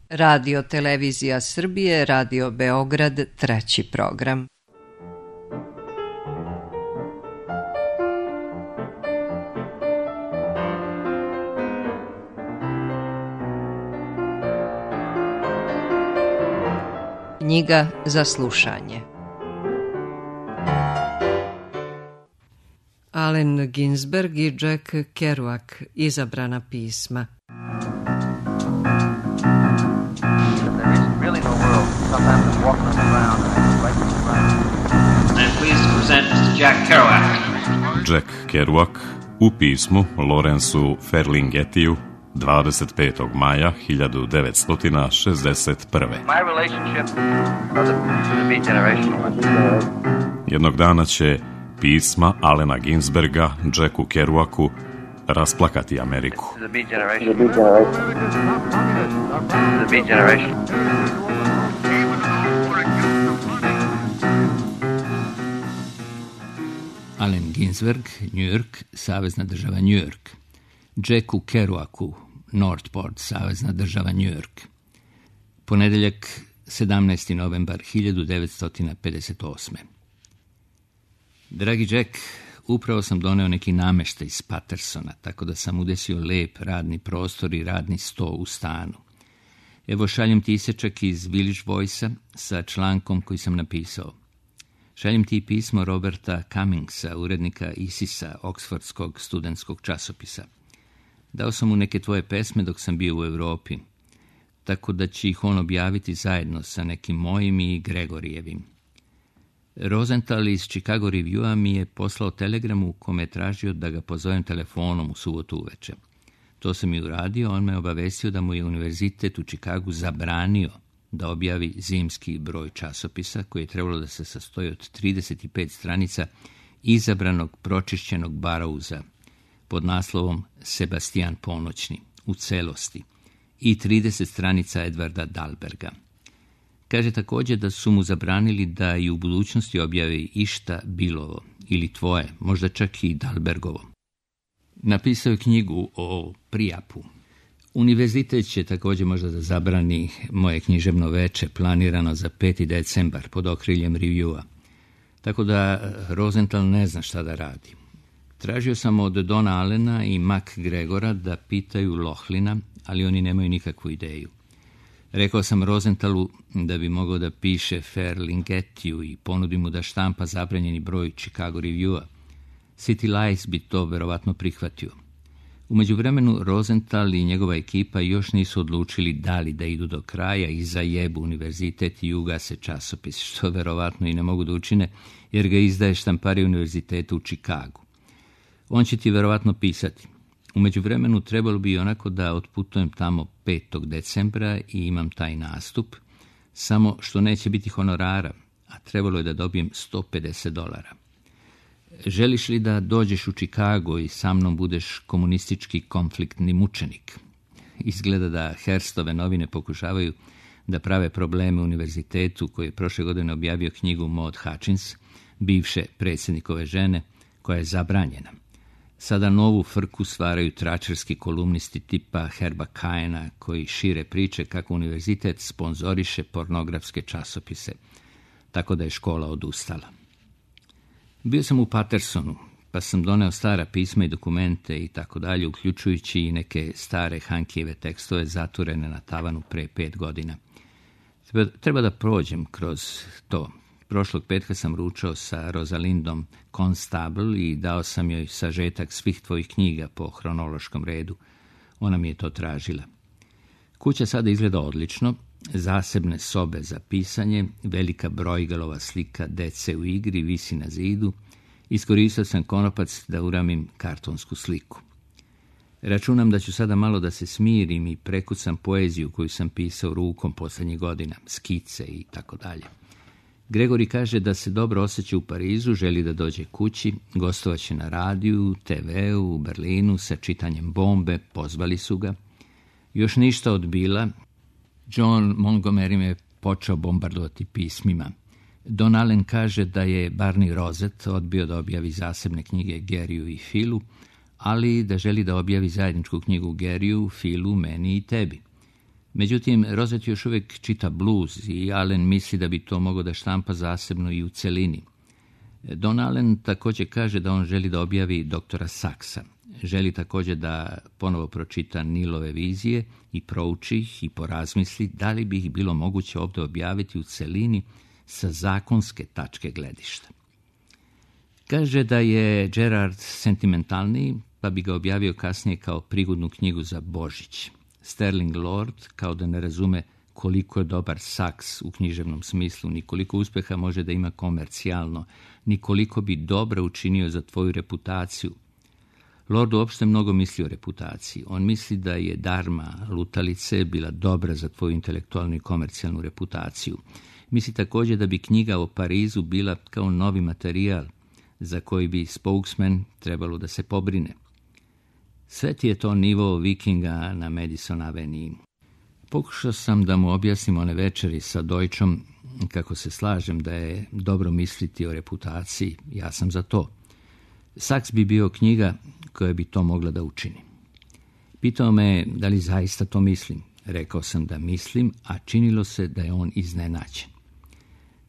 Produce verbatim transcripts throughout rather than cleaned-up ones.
Radio Televizija Srbije, Radio Beograd, treći program. Knjiga za slušanje. Allen Ginsberg i Jack Kerouac, izabrana pisma. Jack Kerouac u pismu Lawrenceu Ferlinghettiju dvadeset petog maja hiljadu devetsto šezdeset prve. Jednog dana će pisma Allena Ginsberga Jacku Kerouacu rasplakati Ameriku. Allen Ginsberg, New York, savezna država New York. Jacku Kerouacu, Northport, savezna država New York. Ponedeljak, sedamnaesti novembar hiljadu devetsto pedeset osme. Dragi Jack, upravo sam doneo neki nameštaj iz Patersona, tako da sam udesio lep radni prostor i radni sto u stanu. Evo šaljem ti isečak iz Village Voice-a sa člankom koji sam napisao. Šaljem ti pismo Roberta Cummingsa, urednika Isisa, Oksfordskog studentskog časopisa. Dao sam mu neke tvoje pesme dok sam bio u Europi, tako da će ih on objaviti zajedno sa nekim mojim i Gregorijevim. Rosenthal iz Chicago Review-a mi je poslao telegramu u kome je tražio da ga pozovem telefonom u subotu uveče. To sam i uradio, on me obavestio da mu je univerzitet u Chicagu zabranio da objavi zimski broj časopisa koji je trebalo da se sastoji od trideset pet stranica izabranog pročišćenog Barrouza pod naslovom Sebastian Ponoćni u celosti i trideset stranica Edvarda Dahlberga. Kaže također da su mu zabranili da i u budućnosti objavi išta Bilovo ili tvoje, možda čak i Dahlbergovo. Napisao je knjigu o Prijapu. Univerzitet će također možda da zabrani moje književno veče planirano za peti decembar pod okriljem Review-a. Tako da Rosenthal ne zna šta da radi. Tražio sam od Dona Allena i Mac Gregora da pitaju Lochlina, ali oni nemaju nikakvu ideju. Rekao sam Rosenthalu da bi mogao da piše Ferlinghettiju i ponudi mu da štampa zabranjeni broj Chicago Review-a. City Lights bi to verovatno prihvatio. U međuvremenu Rosenthal i njegova ekipa još nisu odlučili da li da idu do kraja i zajebu univerzitet i ugase časopis, što verovatno i ne mogu da učine, jer ga izdaje štamparija univerziteta u Chicagu. On će ti verovatno pisati. U međuvremenu trebalo bi onako da otputujem tamo petog decembra i imam taj nastup, samo što neće biti honorara, a trebalo je da dobijem sto pedeset dolara. Želiš li da dođeš u Chicago i sa mnom budeš komunistički konfliktni mučenik? Izgleda da Hearstove novine pokušavaju da prave probleme univerzitetu koji je prošle godine objavio knjigu Maud Hutchins, bivše predsjednikove žene, koja je zabranjena. Sada novu frku stvaraju tračarski kolumnisti tipa Herba Caena koji šire priče kako univerzitet sponzoriše pornografske časopise, tako da je škola odustala. Bio sam u Patersonu, pa sam doneo stara pisma i dokumente i tako dalje, uključujući i neke stare Hankijeve tekstove zaturene na tavanu pre pet godina. Treba, treba da prođem kroz to. Prošlog petka sam ručao sa Rosalindom Constable i dao sam joj sažetak svih tvojih knjiga po hronološkom redu. Ona mi je to tražila. Kuća sada izgleda odlično, zasebne sobe za pisanje, velika brojgalova slika dece u igri visi na zidu. Iskoristio sam konopac da uramim kartonsku sliku. Računam da ću sada malo da se smirim i prekucam poeziju koju sam pisao rukom posljednjih godina, skice i tako dalje. Gregori kaže da se dobro osjeća u Parizu, želi da dođe kući, gostovaće na radiju, te veu, u Berlinu sa čitanjem Bombe, pozvali su ga. Još ništa od Bila. John Montgomery me počeo bombardovati pismima. Don Allen kaže da je Barney Rozet odbio da objavi zasebne knjige Geriju i Philu, ali da želi da objavi zajedničku knjigu Geriju, Philu, meni i tebi. Međutim, Rosset još uvijek čita blues i Allen misli da bi to mogao da štampa zasebno i u celini. Don Allen također kaže da on želi da objavi doktora Saxa. Želi također da ponovo pročita Nilove vizije i prouči ih i porazmisli da li bi ih bilo moguće ovdje objaviti u celini sa zakonske tačke gledišta. Kaže da je Gerard sentimentalniji, pa bi ga objavio kasnije kao prigodnu knjigu za Božić. Sterling Lord kao da ne razume koliko je dobar Sax u književnom smislu, ni koliko uspjeha može da ima komercijalno, ni koliko bi dobro učinio za tvoju reputaciju. Lord uopšte mnogo misli o reputaciji. On misli da je Dharma lutalice bila dobra za tvoju intelektualnu i komercijalnu reputaciju. Misli također da bi knjiga o Parizu bila kao novi materijal za koji bi spokesman trebalo da se pobrine. Sve ti je to nivo Vikinga na Madison Avenue. Pokušao sam da mu objasnim one večeri sa Deutschom kako se slažem da je dobro misliti o reputaciji. Ja sam za to. Sax bi bio knjiga koja bi to mogla da učini. Pitao me da li zaista to mislim. Rekao sam da mislim, a činilo se da je on iznenađen.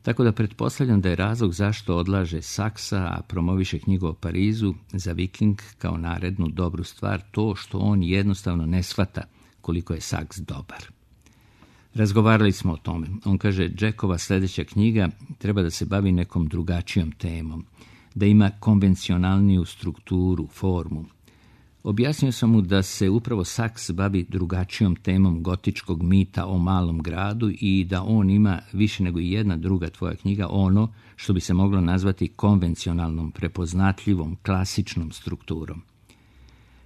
Tako da pretpostavljam da je razlog zašto odlaže Saxa, a promoviše knjigu o Parizu za Viking kao narednu dobru stvar to što on jednostavno ne shvata koliko je Sax dobar. Razgovarali smo o tome. On kaže, Jackova sljedeća knjiga treba da se bavi nekom drugačijom temom, da ima konvencionalniju strukturu, formu. Objasnio sam mu da se upravo Sax bavi drugačijom temom gotičkog mita o malom gradu i da on ima više nego jedna druga tvoja knjiga ono što bi se moglo nazvati konvencionalnom, prepoznatljivom, klasičnom strukturom.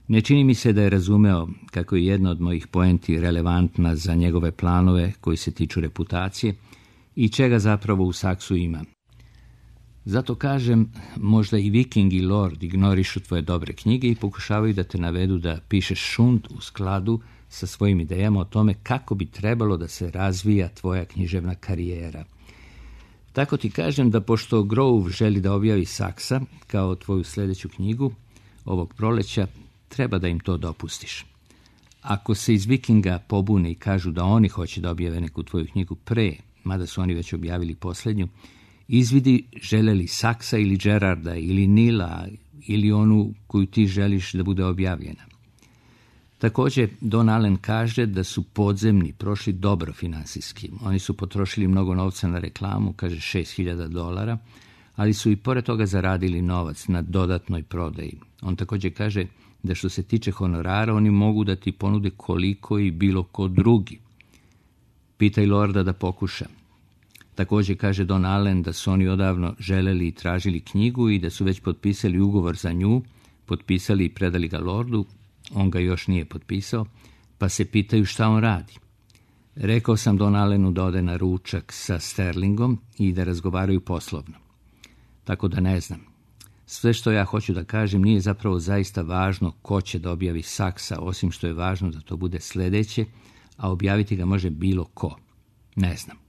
Ne čini mi se da je razumeo kako je jedna od mojih poenti relevantna za njegove planove koji se tiču reputacije i čega zapravo u Saxu ima. Zato kažem, možda i Viking i Lord ignorišu tvoje dobre knjige i pokušavaju da te navedu da pišeš šund u skladu sa svojim idejama o tome kako bi trebalo da se razvija tvoja književna karijera. Tako ti kažem da pošto Grove želi da objavi Saxa kao tvoju sljedeću knjigu ovog proleća, treba da im to dopustiš. Ako se iz Vikinga pobune i kažu da oni hoće da objave neku tvoju knjigu pre, mada su oni već objavili posljednju, izvidi žele li Saxa ili Gerarda ili Nila ili onu koju ti želiš da bude objavljena. Također, Don Allen kaže da su podzemni prošli dobro finansijski. Oni su potrošili mnogo novca na reklamu, kaže šest hiljada dolara, ali su i pored toga zaradili novac na dodatnoj prodaji. On također kaže da što se tiče honorara, oni mogu da ti ponude koliko i bilo ko drugi. Pitaj Lorda da pokuša. Također kaže Don Allen da su oni odavno želeli i tražili knjigu i da su već potpisali ugovor za nju, potpisali i predali ga Lordu, on ga još nije potpisao, pa se pitaju šta on radi. Rekao sam Don Allenu da ode na ručak sa Sterlingom i da razgovaraju poslovno. Tako da ne znam. Sve što ja hoću da kažem nije zapravo zaista važno ko će da objavi Saxa, osim što je važno da to bude sljedeće, a objaviti ga može bilo ko. Ne znam.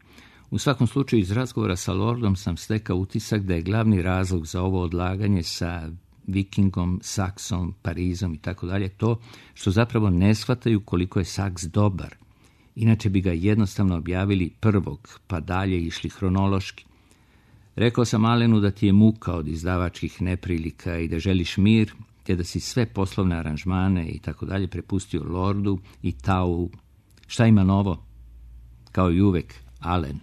U svakom slučaju iz razgovora sa Lordom sam stekao utisak da je glavni razlog za ovo odlaganje sa Vikingom, Saxom, Parizom i tako dalje to što zapravo ne shvataju koliko je Sax dobar. Inače bi ga jednostavno objavili prvog, pa dalje išli hronološki. Rekao sam Allenu da ti je muka od izdavačkih neprilika i da želiš mir, te da si sve poslovne aranžmane i tako dalje prepustio Lordu i Tau. Šta ima novo? Kao i uvek, Allen.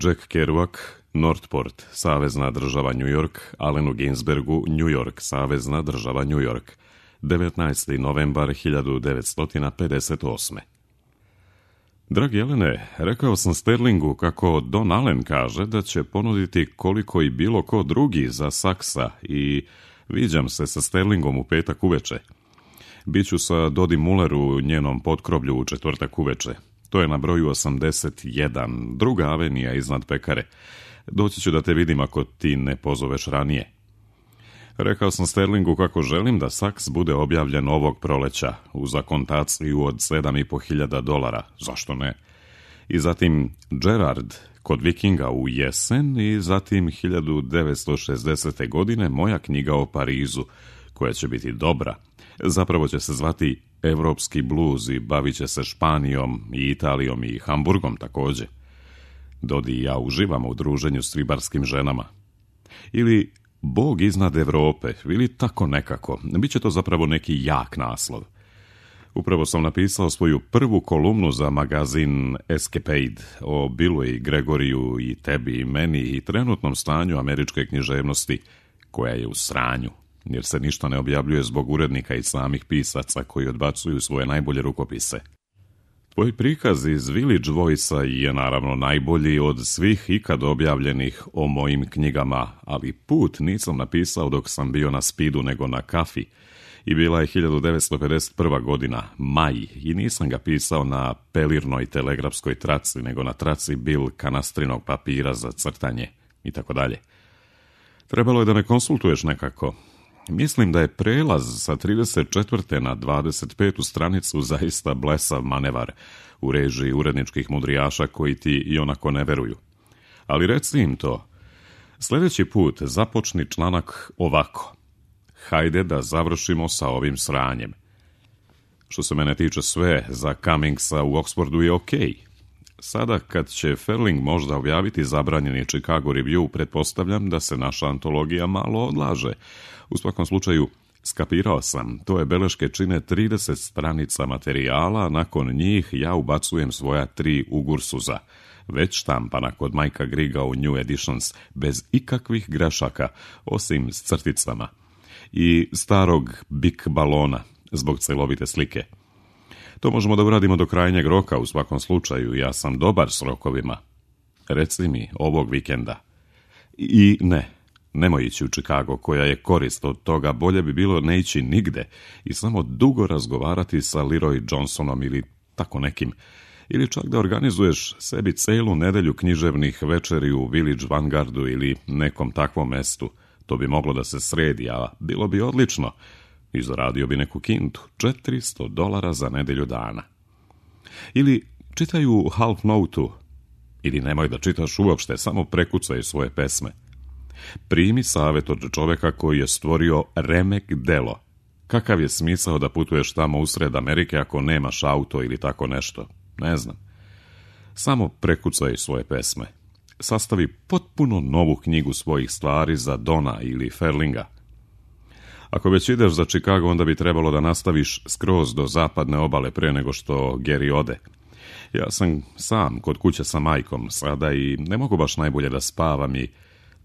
Jack Kerouac, Northport, savezna država New York, Allenu Ginsbergu, New York, savezna država New York, devetnaesti novembar hiljadu devetsto pedeset osme. Dragi Alene, rekao sam Sterlingu kako Don Allen kaže da će ponuditi koliko i bilo ko drugi za Saxa i viđam se sa Sterlingom u petak uveče. Biću sa Dodi Muller u njenom potkroblju u četvrtak uveče. To je na broju osamdeset jedan, druga avenija iznad pekare. Doći ću da te vidim ako ti ne pozoveš ranije. Rekao sam Sterlingu kako želim da Sax bude objavljen ovog proleća uz akontaciju od sedam i po hiljada dolara. Zašto ne? I zatim Gerard kod Vikinga u jesen i zatim hiljadu devetsto šezdesete. godine moja knjiga o Parizu, koja će biti dobra. Zapravo će se zvati evropski bluz i bavit će se Španijom i Italijom i Hamburgom također. Dodi i ja uživamo u druženju s ribarskim ženama. Ili Bog iznad Evrope, ili tako nekako. Biće to zapravo neki jak naslov. Upravo sam napisao svoju prvu kolumnu za magazin Escapade o Billu i Gregoriju i tebi i meni i trenutnom stanju američke književnosti, koja je u sranju, jer se ništa ne objavljuje zbog urednika i samih pisaca koji odbacuju svoje najbolje rukopise. Tvoj prikaz iz Village Voice-a je naravno najbolji od svih ikad objavljenih o mojim knjigama, ali put nisam napisao dok sam bio na Spidu nego na kafi. I bila je hiljadu devetsto pedeset prva. godina, maj, i nisam ga pisao na pelirnoj telegrafskoj traci, nego na traci bil kanastrinog papira za crtanje i tako dalje. Trebalo je da me konsultuješ nekako. Mislim da je prelaz sa trideset četvrte na dvadeset petu stranicu zaista blesav manevar u režiji uredničkih mudrijaša koji ti i onako ne veruju. Ali reci im to. Sljedeći put započni članak ovako. Hajde da završimo sa ovim sranjem. Što se mene tiče, sve za Cummingsa u Oxfordu je okej. Sada kad će Ferling možda objaviti zabranjeni Chicago Review, pretpostavljam da se naša antologija malo odlaže. U svakom slučaju, skapirao sam, to je beleške čine trideset stranica materijala, nakon njih ja ubacujem svoja tri ugursuza, već štampana kod Majka Griga u New Editions, bez ikakvih grešaka, osim s crticama, i starog Bic balona, zbog celovite slike. To možemo da uradimo do krajnjeg roka, u svakom slučaju, ja sam dobar s rokovima. Reci mi, ovog vikenda. I ne, nemoj ići u Chicago, koja je korist od toga, bolje bi bilo ne ići nigde i samo dugo razgovarati sa Leroy Johnsonom ili tako nekim, ili čak da organizuješ sebi celu nedelju književnih večeri u Village Vanguardu ili nekom takvom mestu. To bi moglo da se sredi, a bilo bi odlično. I zaradio bi neku kintu, četiristo dolara za nedelju dana. Ili čitaj u Half Note-u, ili nemoj da čitaš uopšte, samo prekucaj svoje pesme. Primi savjet od čoveka koji je stvorio remek delo. Kakav je smisao da putuješ tamo usred Amerike ako nemaš auto ili tako nešto? Ne znam. Samo prekucaj svoje pesme. Sastavi potpuno novu knjigu svojih stvari za Dona ili Ferlinga. Ako već ideš za Chicago, onda bi trebalo da nastaviš skroz do zapadne obale pre nego što Gary ode. Ja sam sam kod kuće sa majkom sada i ne mogu baš najbolje da spavam i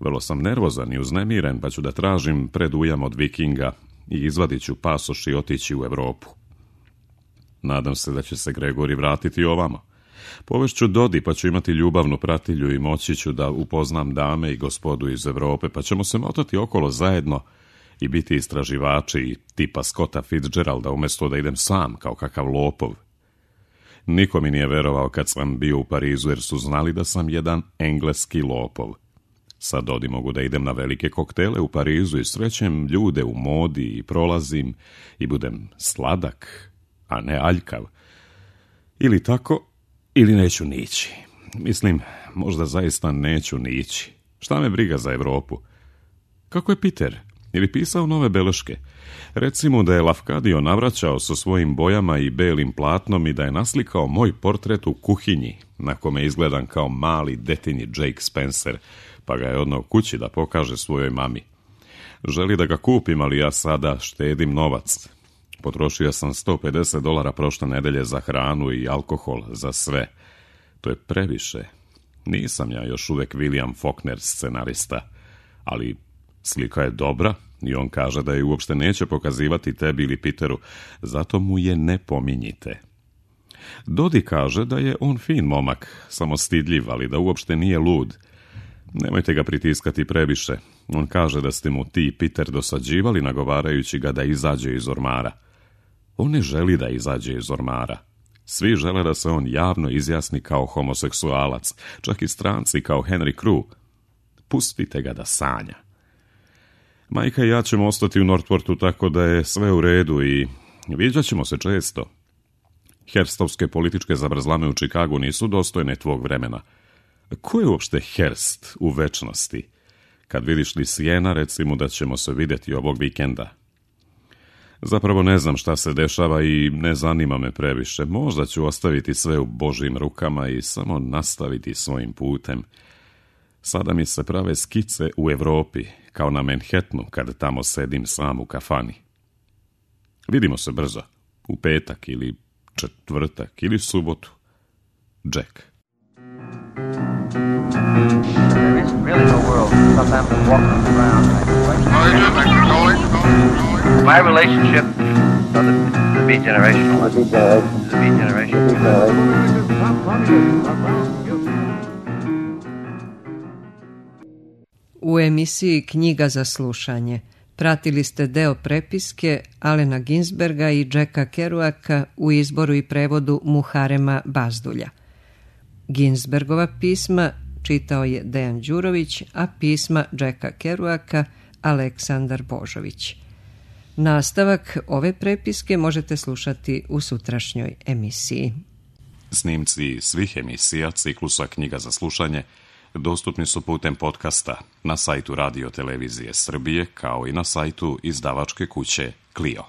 vrlo sam nervozan i uznemiren, pa ću da tražim predujam od Vikinga i izvadit ću pasoš i otići u Evropu. Nadam se da će se Gregori vratiti ovamo. Povešću Dodi, pa ću imati ljubavnu pratilju i moći ću da upoznam dame i gospodu iz Evrope, pa ćemo se motati okolo zajedno i biti istraživači tipa Scotta Fitzgeralda umjesto da idem sam kao kakav lopov. Niko mi nije verovao kad sam bio u Parizu jer su znali da sam jedan engleski lopov. Sad Dodi mogu da idem na velike koktele u Parizu i srećem ljude u modi i prolazim i budem sladak, a ne aljkav. Ili tako, ili neću nići. Mislim, možda zaista neću nići. Šta me briga za Evropu? Kako je Peter? Ili pisao nove beleške? Recimo da je Lafcadio navraćao sa svojim bojama i belim platnom i da je naslikao moj portret u kuhinji, na kome izgledam kao mali detinji Jake Spencer, pa ga je odneo kući da pokaže svojoj mami. Želi da ga kupim, ali ja sada štedim novac. Potrošio sam sto pedeset dolara prošle nedelje za hranu i alkohol, za sve. To je previše. Nisam ja još uvek William Faulkner scenarista, ali slika je dobra i on kaže da je uopšte neće pokazivati tebi ili Peteru, zato mu je ne pominjite. Dodi kaže da je on fin momak, samo stidljiv, ali da uopšte nije lud. Nemojte ga pritiskati previše. On kaže da ste mu ti i Peter dosađivali nagovarajući ga da izađe iz ormara. On ne želi da izađe iz ormara. Svi žele da se on javno izjasni kao homoseksualac, čak i stranci kao Henry Crew. Pustite ga da sanja. Majka i ja ćemo ostati u Northportu tako da je sve u redu i viđat ćemo se često. Herstovske političke zabrzlame u Chicagu nisu dostojne tvog vremena. Ko je uopšte Hearst u večnosti? Kad vidiš li Sjena, recimo da ćemo se vidjeti ovog vikenda. Zapravo ne znam šta se dešava i ne zanima me previše. Možda ću ostaviti sve u Božjim rukama i samo nastaviti svojim putem. Sada mi se prave skice u Evropi, kao na Manhattanu, kad tamo sedim sam u kafani. Vidimo se brzo, u petak ili četvrtak ili subotu. Jack. There isn't really no world. Sometimes I'm walking on the ground. My relationship to the, the beat generation. The beat generation. U emisiji Knjiga za slušanje pratili ste deo prepiske Alena Ginsberga i Jacka Kerouaka u izboru i prevodu Muharema Bazdulja. Ginsbergova pisma čitao je Dejan Đurović, a pisma Jacka Kerouaka Aleksandar Božović. Nastavak ove prepiske možete slušati u sutrašnjoj emisiji. Snimci svih emisija ciklusa Knjiga za slušanje dostupni su putem podcasta na sajtu Radio Televizije Srbije kao i na sajtu izdavačke kuće Clio.